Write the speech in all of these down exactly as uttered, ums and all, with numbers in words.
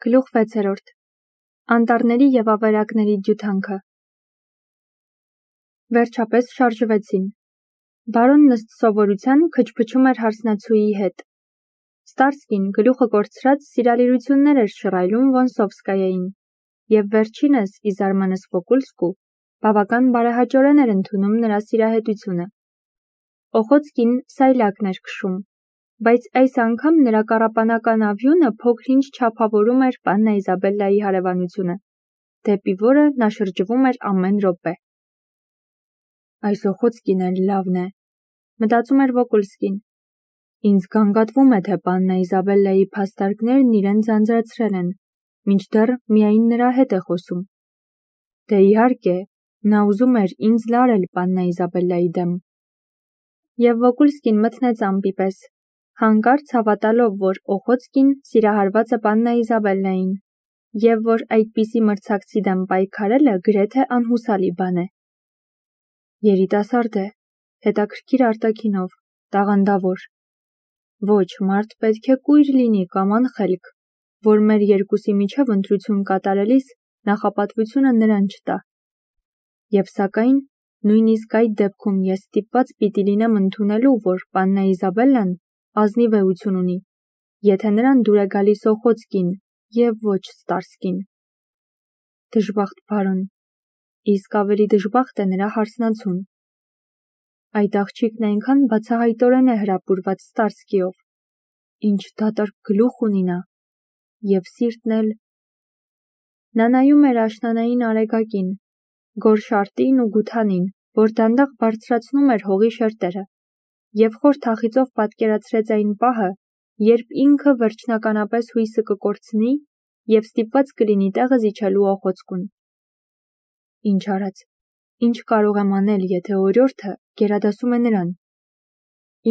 Գլուխ վեցերորդ. Անտառների և ավերակների ջութանքը։ Վերջապես շարժվեցին։ Բարոնն ըստ սովորության քչփչում էր հարսնացուի հետ։ Ստարսկին գլուխը կորցրած սիրալիրություններ էր շռայլում Վոնսովսկայային, և վերջինս, ի զարմանս Վոկուլսկու, բավական բարեհաճորեն էր ընդունում նրա սիրահետությունը։ Օխոցկին սայլակն էր քշում, բայց այս անգամ նրա կառապանական ավյունը փոքր-ինչ չափավորում էր Պաննա Իզաբելլայի հարևանությունը, դեպի որը նա շրջվում էր ամեն րոպե։ Այս Օխոցկին էլ լավն է, մտածում էր Վոկուլսկին։ Ինձ գանգատվում է, թե Պաննա Իզաբելլայի փաստարկներն իրեն ձանձրացրել են, մինչդեռ միայն նրա հետ է խոսում։ Դե իհարկե, նա ուզում էր ինձ լարել Պաննա Իզաբելլայի դեմ։ Եվ Վոկուլսկին մթնեց ամպի պես, հանկարծ հավատալով, որ Օխոցկին սիրահարված է Պաննա Իզաբելլային, և որ այդպիսի մրցակցի դեմ պայքարելը գրեթե անհուսալի բան է։ Երիտասարդ է, հետաքրքիր արտաքինով, տաղանդավոր։ Ոչ, մարդ պետք է կույր լինի կամ անխելք, որ մեր երկուսի միջև ընտրություն կատարելիս նախապատվությունը նրան չտա։ Եվ սակայն, նույնիսկ այդ դեպքում ես ստիպված պիտի լինեմ ընդունելու, որ Պաննա Իզաբելլան ազնիվ էություն ունի, եթե նրան դուր է գալիս Օխոցկին և ոչ Ստարսկին։ Դժբախտ բարոն, իսկ ավելի դժբախտ է նրա հարսնացուն։ Այդ աղջիկն այնքան բացահայտորեն է հրապուրված Ստարսկիով, ինչ դատարկ գլուխ ունի նա, և սիրտն էլ… Նա նայում էր աշնանային արեգակին, Գորշարտին ու Գութանին, որ դանդաղ բարձրացնում էր հողի շերտերը, և խոր թախիծով պատկերացրեց այն պահը, երբ ինքը վերջնականապես հույսը կկորցնի և ստիպված կլինի տեղը զիջելու Օխոցկուն։ Ինչ արած, ինչ կարող եմ անել, եթե օրիորդը գերադասում է նրան։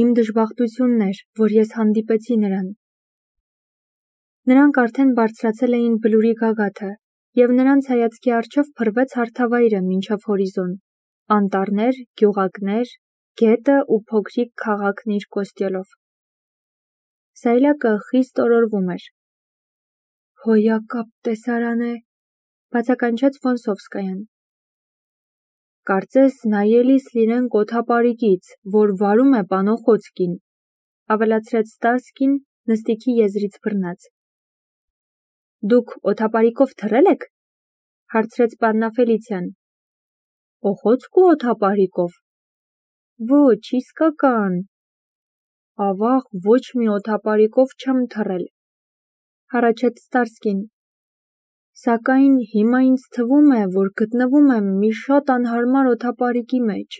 Իմ դժբախտությունն էր, որ ես հանդիպեցի նրան։ Նրանք արդեն բարձրացել էին բլուրի գագաթը, և նրանց հայացքի առջև փռվեց հարթավայրը մինչև հորիզոն, անտառներ, գյուղակներ, գետը ու փոքրիկ քաղաքն իր կոստյոլով։ Սայլակը խիստ օրորվում էր։ Հոյակապ տեսարան է, բացականչեց Վոնսովսկայան։ Կարծես նայելիս լինենք օդապարիկից, որ վարում է պան Օխոցկին, ավելացրեց Ստարսկին նստիքի եզրից բռնած։ Դուք օդապարիկով թռել եք, հարցրեց պաննա Ֆելիցիան։ Օխոցկու օդապարիկով։ Ոչ, իսկական։ Ավաղ, ոչ մի օդապարիկով չեմ թռել, հառաչեց Ստարսկին։ Սակայն հիմա ինձ թվում է, որ գտնվում եմ մի շատ անհարմար օդապարիկի մեջ։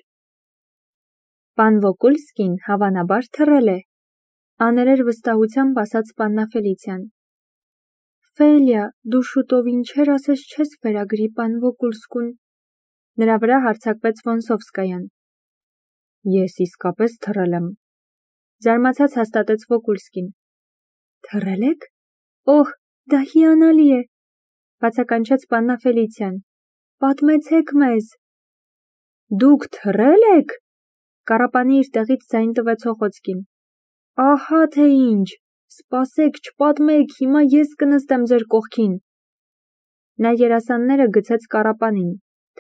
Պան Վոկուլսկին հավանաբար թռել է, աներեր վստահությամբ ասաց պաննա Ֆելիցիան։ Ֆելիա, դու շուտով ինչեր ասես չես վերագրի պան Վոկուլսկուն։ Նրա վրա հարձակվեց Վոնսովսկայան։ Ես իսկապես թռել եմ, զարմացած հաստատեց Վոկուլսկին։ Թռել եք։ Օհ, դա հիանալի է, բացականչեց պաննա Ֆելիցիան։ Պատմեցեք մեզ։ Դուք թռել եք։ Կառապանի իր տեղից ձայն տվեց Օխոցկին։ Ահա թե ինչ, սպասեք, չպատմեք, հիմա ես կնստեմ ձեր կողքին։ Նա երասանները գցեց կառապանին,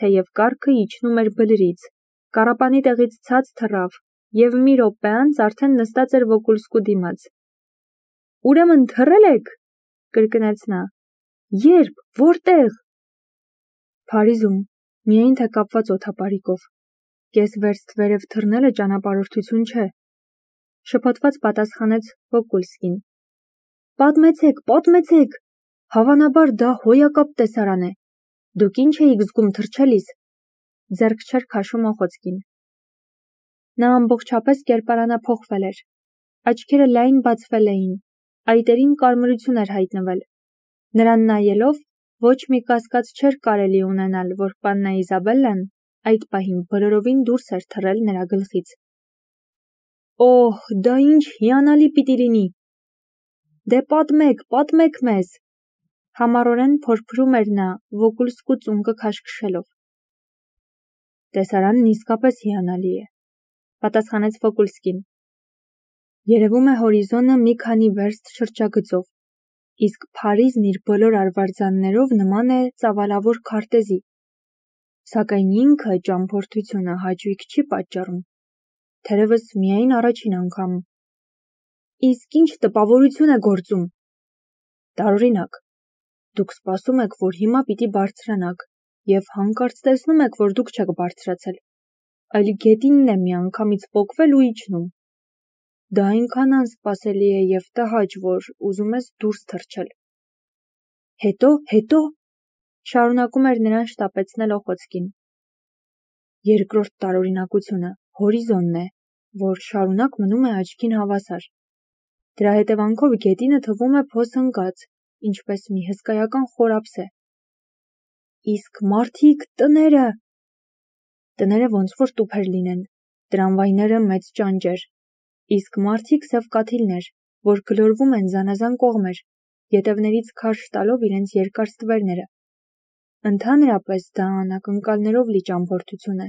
թեև կառքը իջնում էր բլրից, կառապանի տեղից ցած թռավ, և մի րոպե անց արդեն նստած էր Վոկուլսկու դիմաց։ Ուրեմն թռել եք, կրկնեց նա։ Երբ, որտեղ։ Փարիզում, միայն թե կապված օդապարիկով։ Կես վերստ վերև թռնելը ճանապարհորդություն չէ, շփոթված պատասխանեց Վոկուլսկին։ Պատմեցեք, պատմեցեք, հավանաբար դա հոյակապ տեսարան է։ Դուք ինչ էիք զգում թռչելիս։ Ձեռք չէր քաշում Օխոցկին։ Նա ամբողջապես կերպարանափոխվել էր։ Աչքերը լայն բացվել էին, այտերին կարմրություն էր հայտնվել։ Նրան նայելով ոչ մի կասկած չէր կարելի ունենալ, որ պաննա Իզաբելլան այդ պահին բոլորովին դուրս էր թռել նրա գլխից։ Օհ, դա ինչ հիանալի պիտի լինի։ Դե պատմեք, պատմեք մեզ։ Համառորեն փորփրում էր նա Վոկուլսկու ծունկը քաշքշելով։ Տեսարանն իսկապես հիանալի է, պատասխանեց Վոկուլսկին։ Երևում է հորիզոնը մի քանի վերստ շրջագծով, իսկ Փարիզն իր բոլոր արվարձաններով նման է ծավալավոր քարտեզի, սակայն ինքը ճամփորդությունը հաճույք չի պատճառում, թերևս միայն առաջին անգամ։ Իսկ ինչ տպավորություն է գործում։ Տարօրինակ, դուք սպասում եք, որ հիմա պիտի բարձրանաք, և հանկարծ տեսնում եք, որ դուք չեք բարձրացել, այլ գետինն է միանգամից պոկվել ու իջնում։ Դա այնքան անսպասելի է և տհաճ, որ ուզում ես դուրս թռչել։ Հետո, հետո, շարունակում էր նրան շտապեցնել Օխոցկին։ Երկրորդ տարօրինակությունը հորիզոնն է, որ շարունակ մնում է աչքին հավասար։ Դրա հետևանքով գետինը թվում է փոս ընկած, ինչպես մի հսկայական խորափս է։ Իսկ մարդիկ, տները… Տները ոնց որ տուփեր լինեն, տրամվայները մեծ ճանճեր, իսկ մարդիկ սև կաթիլներ, որ գլորվում են զանազան կողմեր, ետևներից քարշ տալով իրենց երկար ստվերները։ Ընդհանրապես դա անակնկալներով լի ճամփորդություն է։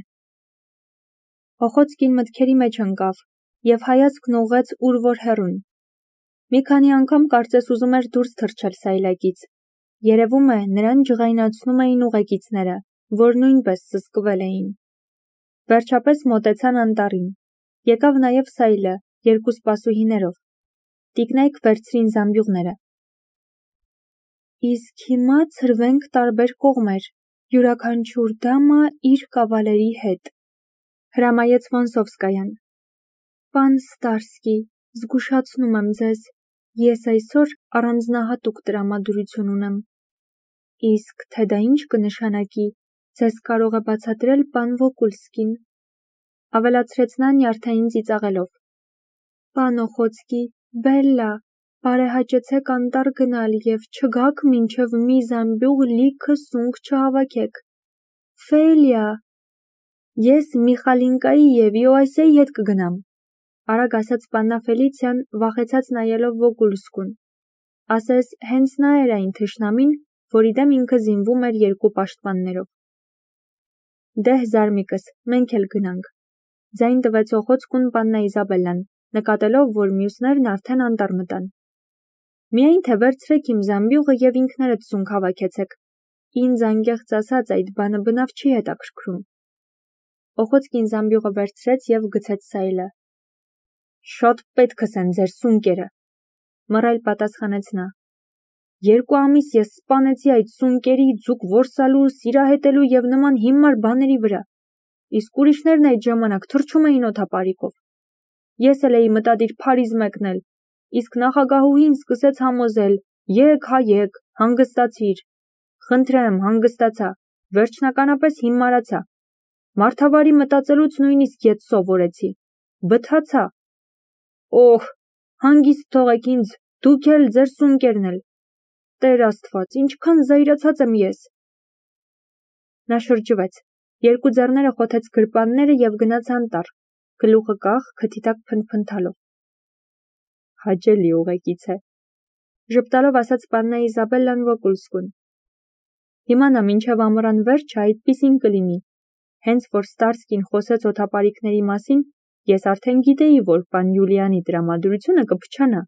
Օխոցկին մտքերի մեջ ընկավ և հայացքն ուղղեց ուր որ հեռուն։ Մի քանի անգամ կարծես ուզում էր դուրս թռչել սայլակից։ Երևում է, նրան ջղայնացնում էին ուղեկիցները, որ նույնպես սսկվել էին։ Վերջապես մոտեցան անտառին։ Եկավ նաև Սայլը, երկու սպասուհիներով։ Տիկնայք վերցրին զամբյուղները։ Իսկ հիմա ցրվենք տարբեր կողմեր, յուրաքանչյուր դամա իր կավալերի հետ, հրամայեց Վոնսովսկայան։ Պան Ստարսկի, զգուշացնում եմ ձեզ, ես այսօր առանձնահատուկ տրամադրություն ունեմ։ Իսկ թե դա ինչ կնշանակի, ձեզ կարող է բացատրել պան Վոկուլսկին, ավելացրեց նա նյարդային ծիծաղելով։ Պան Օխոցկի, Բելլա, բարեհաճեցեք անտառ գնալ և չգաք մինչև մի զամբյուղ լիքը սունկ չհավաքեք։ Ֆեյլիա, ես Միխալինկայի և Իոասեի հետ կգնամ, արագ ասաց պաննա Ֆելիցիան, վախեցած նայելով Վոկուլսկուն։ Ասես հենց նա էր այն թշնամին, որի դեմ ինքը զինվում էր երկու պաշտպաններով։ Դեհ զարմիկս, մենք էլ գնանք, ձայն տվեց Օխոցկուն պաննա Իզաբելլան, նկատելով, որ մյուսներն արդեն անտառ մտան։ Միայն թե վերցրեք իմ զամբյուղը և ինքներդ սունկ հավաքեցեք, ինձ անկեղծ ասած այդ բանը բնավ չի հետաքրքրում։ Օխոցկին զամբյուղը վերցրեց և գցեց Սայլը։ Շատ պետքս են ձեր սունկերը, մռայլ պատասխանեց նա։ Երկու ամիս ես սպանեցի այդ սունկերի, ձուկ որսալու, սիրահետելու և նման հիմար բաների վրա, իսկ ուրիշներն այդ ժամանակ թռչում էին օդապարիկով։ Ես էլ էի մտադիր Փարիզ մեկնել, իսկ նախագահուհին սկսեց համոզել. եկ, հա եկ, հանգստացիր։ Խնդրեմ, հանգստացա, վերջնականապես հիմարացա։ Մարդավարի մտածելուց նույնիսկ ետ սովորեցի։ Բթացա։ Օհ, հանգիստ թողեք ինձ, դուք էլ, ձեր սունկերն էլ։ Տեր Աստված, ինչքան զայրացած եմ ես։ Նա շրջվեց, երկու ձեռները խոթեց գրպանները և գնաց անտառ, գլուխը կախ, քթի տակ փնթփնթալով։ Հաճելի ուղեկից է, ժպտալով ասաց պաննա Իզաբելլան Վոկուլսկուն։ Հիմա նա մինչև ամռան վերջը այդպիսին կլինի, հենց որ Ստարսկին խոսեց օդապարիկների մասին, ես արդեն գիտեի, որ պան Յուլիանի տրամադրությունը կփչանա։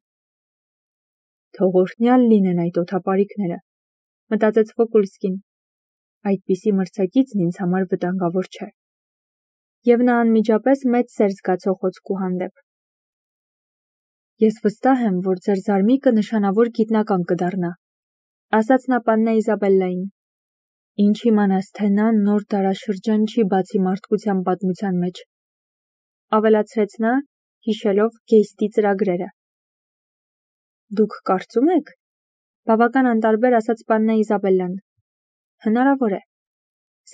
Թող օրհնյալ լինեն այդ օդապարիկները, մտածեց Վոկուլսկին։ Այդպիսի մրցակիցն ինձ համար վտանգավոր չէ։ Եվ նա անմիջապես մեծ սեր զգաց Օխոցկու հանդեպ։ Ես վստահ եմ, որ ձեր զարմիկը նշանավոր գիտնական կդառնա, ասաց նա պաննա Իզաբելլային։ Ինչ իմանաս, թե նա նոր դարաշրջան չի բացի մարդկության պատմության մեջ, ավելացրեց նա, հիշելով Գեյստի ծրագրերը։ Դուք կարծում եք, բավական անտարբեր ասաց պաննա Իզաբելլան։ Հնարավոր է,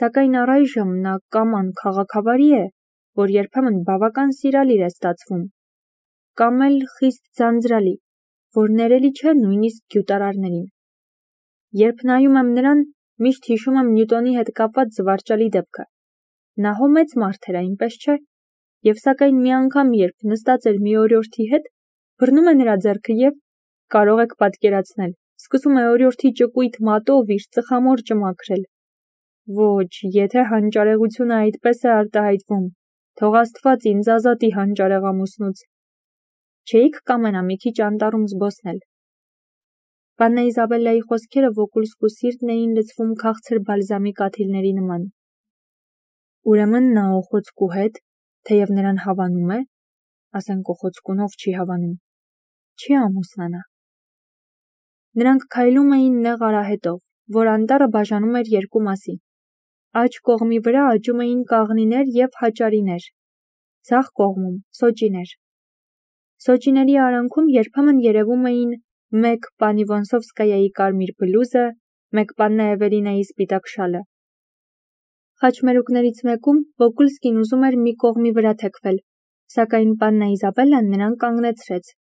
սակայն առայժմ նա կամ անքաղաքավարի է, որ երբեմն բավական սիրալիր է ստացվում, կամ էլ խիստ ձանձրալի, որ ներելի չէ նույնիսկ գյուտարարներին։ Երբ նայում եմ նրան, միշտ հիշում եմ Նյուտոնի հետ կապված զվարճալի դեպքը։ Նա հո մեծ մարդ էր, այնպես չէ, և սակայն մի անգամ, երբ նստած էր մի օրիորդի հետ, բռնում է նրա ձեռքը և, կարող եք պատկերացնել, սկսում է օրիորդի ճկույտ մատով իր ծխամորճը մաքրել։ Ոչ, եթե հանճարեղությունը այդպես է արտահայտվում, թող Աստված ինձ ազատի հանճարեղ ամուսնուց։ Չէիք կամենա մի քիչ անտառում զբոսնել։ Բաննա Իզաբելլայի խոսքերը Վոկուլսկու սիրտն էին լցվում քաղցր բալզամի կաթիլների նման։ Ուրեմն նա Օխոցկու հետ, թեև նրան հավանում է, ասենք Օխոցկունով չի հավանում, չի ամուսնանա։ Նրանք քայլում էին նեղ արահետով, որ անտառը բաժանում էր երկու մասի։ Աջ կողմի վրա աճում էին կաղնիներ և հաճարիներ, ձախ կողմում սոճիներ։ Սոճիների արանքում երբեմն երևում էին մեկ պանի Վոնսովսկայայի կարմիր բլուզը, մեկ պաննա Էվելինայի սպիտակ շալը։ Խաչմերուկներից մեկում Վոկուլսկին ուզում էր մի կողմի վրա թեքվել, սակայն պաննա Իզաբելլան նրան կանգնեցրեց։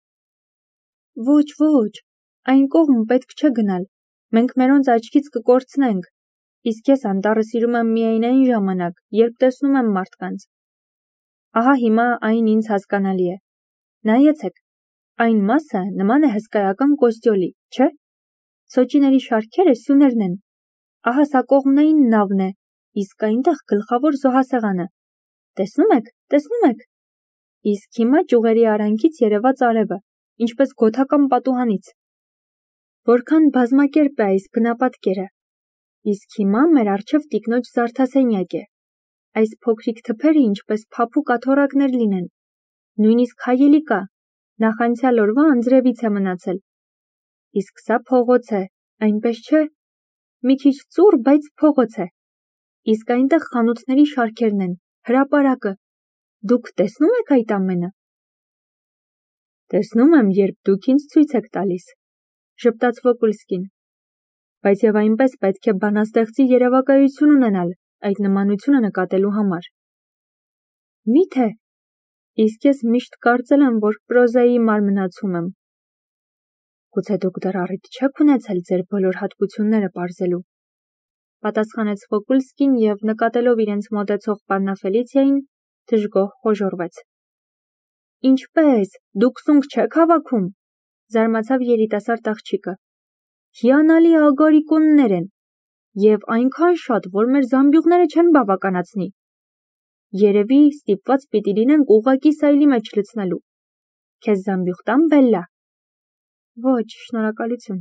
Ոչ, ոչ, այն կողմ պետք չէ գնալ, մենք մերոնց աչքից կկորցնենք, իսկ ես անտառը սիրում եմ միայն այն ժամանակ, երբ տեսնում եմ մարդկանց։ Ահա հիմա այն ինձ հասկանալի է։ Նայեցեք, այն մասը նման է հսկայական կոստյոլի, չէ՞։ Սոճիների շարքերը սյուներն են։ Ահա սա կողմնային նավն է, իսկ այնտեղ գլխավոր զոհասեղանը։ Տեսնում եք, տեսնում եք։ Իսկ հիմա ճյուղերի արանքից երևաց արևը, ինչպես գոթական պատուհանից։ Որքան բազմակերպ է այս բնապատկերը։ Իսկ հիմա մեր առջև տիկնոջ զարդասենյակ է։ Այս փոքրիկ թփերը ինչպես փափուկ աթոռակներ լինեն։ Նույնիսկ հայելի կա, նախանցյալ օրվա անձրևից է մնացել։ Իսկ սա փողոց է, այնպես չէ։ Մի քիչ ծուռ, բայց փողոց է։ Իսկ այնտեղ խանութների շարքերն են, հրապարակը։ Դուք տեսնում եք այդ ամենը։ Տեսնում եմ, երբ դուք ինձ ցույց եք տալիս, ժպտաց Վոկուլսկին։ Բայց եւ այնպես պետք է բանաստեղծի երևակայություն ունենալ այդ նմանությունը նկատելու համար։ Մի՞թե։ Իսկ ես միշտ կարծել եմ, որ պրոզայի մարմնացում եմ։ Գուցե դուք դեռ առիթ չեք ունեցել ձեր բոլոր հատկությունները պարզելու, պատասխանեց Վոկուլսկին եւ նկատելով իրենց մոտեցող պաննա Ֆելիցիային, դժգոհ խոժոռվեց։ Ինչպե՞ս, դուք սունկ չեք հավաքում, զարմացավ երիտասարդ աղջիկը։ Հիանալի ագարիկոններ են, եւ այնքան շատ, որ մեր զամբյուղները չեն բավականացնի։ Երևի ստիպված պիտի լինենք ուղղակի սայլի մեջ լցնելու։ Քեզ զամբյուղ տամ, Բելլա։ Ոչ, շնորհակալություն։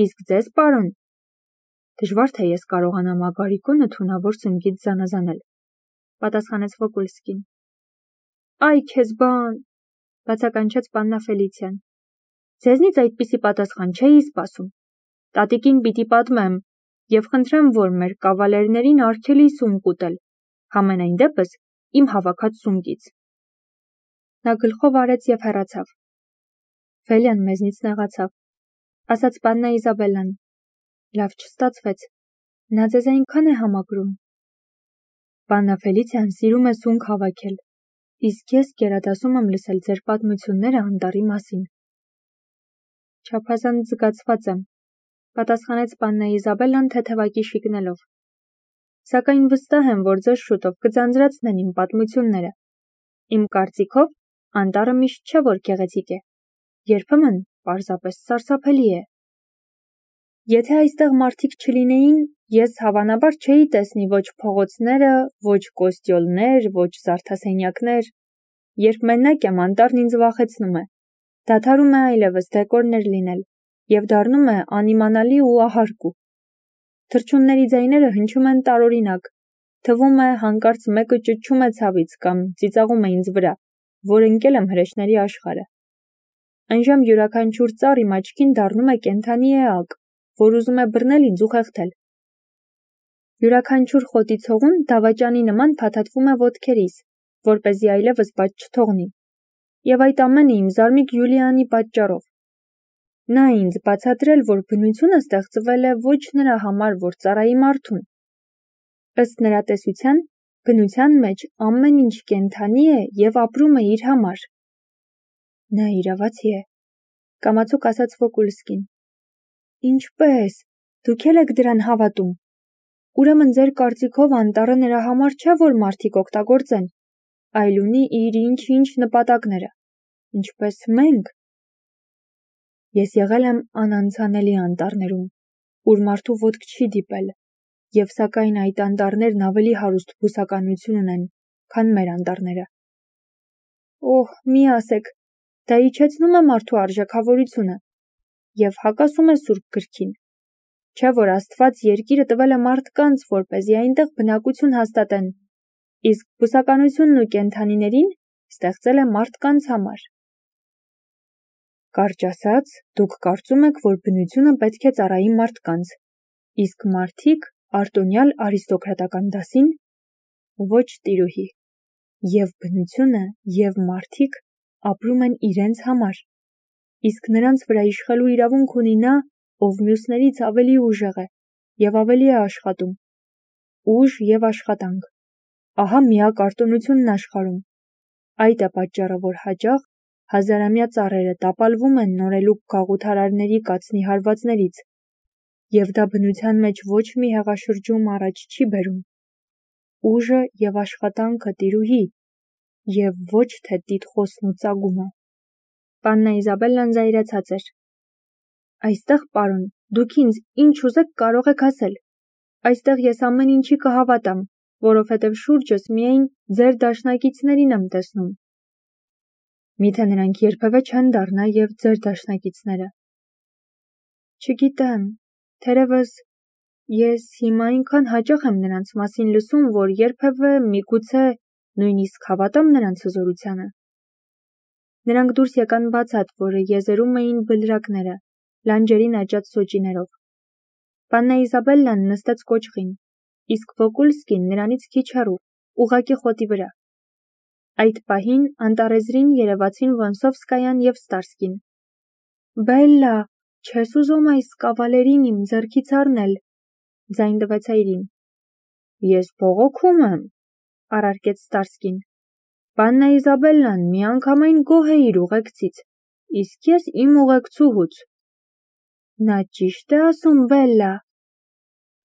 Իսկ ձեզ, պարոն։ Դժվար թե ես կարողանամ ագարիկոնը թունավոր սնկից զանազանել, պատասխանեց Վոկուլսկին։ Այ քեզ բան, բացականչեց պաննա Ֆելիցիան։ Ձեզնից այդպիսի պատասխան չէի սպասում։ Տատիկին պիտի պատմեմ եւ խնդրեմ, որ մեր կավալերներին արգելի սունկ ուտել, համենայն դեպս իմ հավաքած սունկից։ Նա գլխով արեց եւ հեռացավ։ Ֆելիան մեզնից նեղացավ, ասաց պաննա Իզաբելլան։ Լավ չստացվեց։ Նա ձեզ այնքան է համակրում։ Պաննա Ֆելիցիան սիրում է սունկ հավաքել, իսկ ես գերադասում եմ լսել ձեր պատմությունները անտառի մասին։ Չափազանց զգացված եմ, պատասխանեց պաննա Իզաբելլան թեթևակի շիկնելով։ Սակայն վստահ եմ, որ ձեզ շուտով կձանձրացնեն իմ պատմությունները։ Իմ կարծիքով, անտառը միշտ չէ, որ գեղեցիկ է։ Երբեմն պարզապես սարսափելի է։ Եթե այստեղ մարդիկ չլինեին, ես հավանաբար չէի տեսնի ոչ փողոցները, ոչ կոստյոլներ, ոչ զարդասենյակներ։ Երբ մենակ եմ, անտառն ինձ վախեցնում է։ Դադարում է այլևս դեկորներ լինել եւ դառնում է անիմանալի ու ահարկու։ Թռչունների ձայները հնչում են տարօրինակ։ Թվում է հանկարծ մեկը ճուճում է ցավից կամ ծիծաղում է ինձ վրա, որ ընկել եմ հրեշների աշխարհը։ Այնժամ յուրաքանչյուր ծառ իմ աչքին դառնում է կենդանի էակ, որ ուզում է բռնել ինձ ու խեղդել։ Յուրաքանչյուր խոտի ցողուն դավաճանի նման փաթաթվում է ոտքերիս, որպեսզի այլևս բաց չթողնի։ Եվ այդ ամենը իմ զարմիկ Յուլիանի պատճառով։ Նա ինձ բացատրել, որ բնությունը ստեղծվել է ոչ նրա համար, որ ծառայի մարդուն։ Ըստ նրա տեսության, բնության մեջ ամեն ինչ կենդանի է եւ ապրում է իր համար։ Նա իրավացի է, կամացուկ ասաց Վոկուլսկին։ Ինչպե՞ս, դուք էլ եք դրան հավատում։ Ուրեմն ձեր կարծիքով անտառը նրա համար չէ, որ մարդիկ օգտագործեն, այլ ունի իր ինչ-ինչ նպատակները, ինչպես մենք։ Ես եղել եմ անանցանելի անտառներում, ուր մարդու ոտք չի դիպել, եւ սակայն այդ անտառներն ավելի հարուստ բուսականություն ունեն, քան մեր անտառները։ Օհ, մի ասեք, դա իջեցնում է մարդու արժեքավորությունը։ և հակասում է Սուրբ գրքին։ Չէ՞ որ Աստված երկիրը տվել է մարդկանց, որպեսզի այնտեղ բնակություն հաստատեն, իսկ բուսականությունն ու կենդանիներին ստեղծել է մարդկանց համար։ Կարճ ասած, դուք կարծում եք, որ բնությունը պետք է ծառայի մարդկանց, իսկ մարդիկ արտոնյալ արիստոկրատական դասին։ Ոչ, տիրուհի, և բնությունը, և մարդիկ ապրում են իրենց համար, իսկ նրանց վրա իշխելու իրավունք ունի նա, ով մյուսներից ավելի ուժեղ է և ավելի է աշխատում։ Ուժ և աշխատանք։ Ահա միակ արտոնությունն աշխարհում։ Այդ է պատճառը, որ հաճախ հազարամյա ծառերը տապալվում են նորելուկ գաղութարարների կացնի հարվածներից, և դա բնության մեջ ոչ մի հեղաշրջում առաջ չի բերում։ Ուժը և աշխատանքը, տիրուհի, և ոչ թե տիտղոսն ու ծագումը։ Պաննա Իզաբելլան զայրացած էր։ Այստեղ, պարոն, դուք ինձ ինչ ուզեք կարող եք ասել։ Այստեղ ես ամեն ինչի կհավատամ, որովհետև շուրջս միայն ձեր դաշնակիցներին եմ տեսնում։ Միթե նրանք երբևէ չեն դառնա և ձեր դաշնակիցները։ Չգիտեմ, թերևս ես հիմա այնքան հաճախ եմ նրանց մասին լսում, որ երբևէ միգուցե նույնիսկ հավատամ նրանց հզորությանը։ Նրանք դուրս եկան բացատ, որը եզերում էին բլրակները, լանջերին աճած սոճիներով։ Պաննա Իզաբելլան նստեց կոճղին, իսկ Վոկուլսկին նրանից քիչ հեռու, ուղղակի խոտի վրա։ Այդ պահին անտառեզրին երևացին Վոնսովսկայան և Ստարսկին։ Բելլա, չես ուզում այս կավալերին իմ ձեռքից առնել, ձայն տվեց այրին։ Ես բողոքում եմ, առարկեց Ստարսկին։ Պաննա Իզաբելլան միանգամայն գոհ է իր ուղեկցից, իսկ ես իմ ուղեկցուհուց։ Նա ճիշտ է ասում, Բելլա։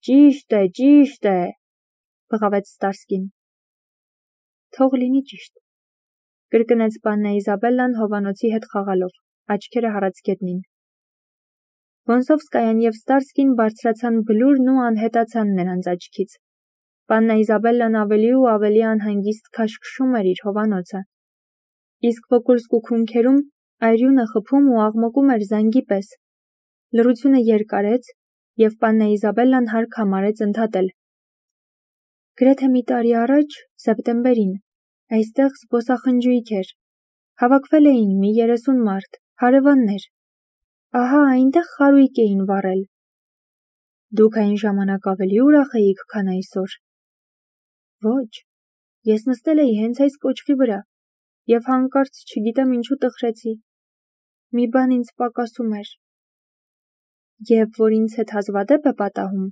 Ճիշտ է, ճիշտ է, բղավեց Ստարսկին։ Թող լինի ճիշտ, կրկնեց Պաննա Իզաբելլան հովանոցի հետ խաղալով, աչքերը հառած գետնին։ Վոնսովսկայան և Ստարսկին բարձրացան բլուրն ու անհետացան նրանց աչքից։ Պաննա Իզաբելլան ավելի ու ավելի անհանգիստ քաշքշում էր իր հովանոցը, իսկ Վոկուլսկու քունքերում այրյունը խփում ու աղմկում էր զանգի պես։ Լռությունը երկարեց, և Պաննա Իզաբելլան հարկ համարեց ընդհատել. Գրեթե մի տարի առաջ, սեպտեմբերին, այստեղ զբոսախնջույք էր։ Հավաքվել էին մի երեսուն մարդ, հարևաններ։ Ահա այնտեղ խարույկ էին վառել։ Դուք այն ժամանակ ավելի ուրախ էիք, քան այսօր։ Ոչ, ես նստել էի հենց այս կոճղի վրա, և հանկարծ չգիտեմ ինչու տխրեցի։ Մի բան ինձ պակասում էր։ Եվ որ ինձ հետ հազվադեպ է պատահում,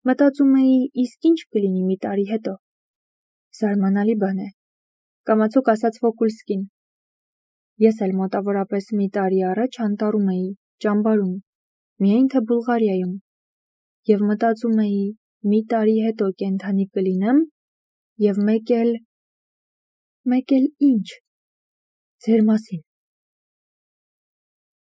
մտածում էի, իսկ ինչ կլինի մի տարի հետո։ Զարմանալի բան է, կամացուկ ասաց Վոկուլսկին։ Ես էլ մոտավորապես մի տարի առաջ անտառում էի, ճամբարում, միայն թե Բուլղարիայում, և մտածում էի, մի տարի հետո կենդանի կլինեմ, և մեկ էլ… Մեկ էլ ի՞նչ։ Ձեր մասին։